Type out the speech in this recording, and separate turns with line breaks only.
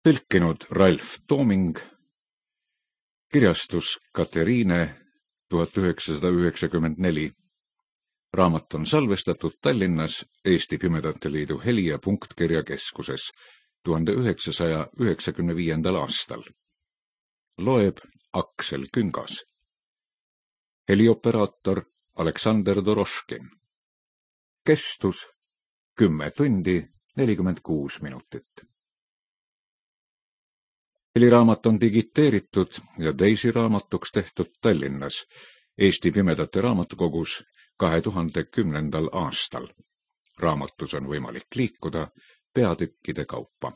Tõlkinud Ralf Tooming, kirjastus Kateriine 1994. Raamat on salvestatud Tallinnas Eesti Pimedate Liidu heli- ja punktkirjakeskuses 1995. aastal. Loeb Aksel Küngas. Helioperaator Aleksander Doroškin. Kestus 10 tundi 46 minutit. Heliraamat on digiteeritud ja teisiraamatuks tehtud Tallinnas Eesti Pimedate Raamatukogus 2010. aastal. Raamatus on võimalik liikuda peatükkide kaupa.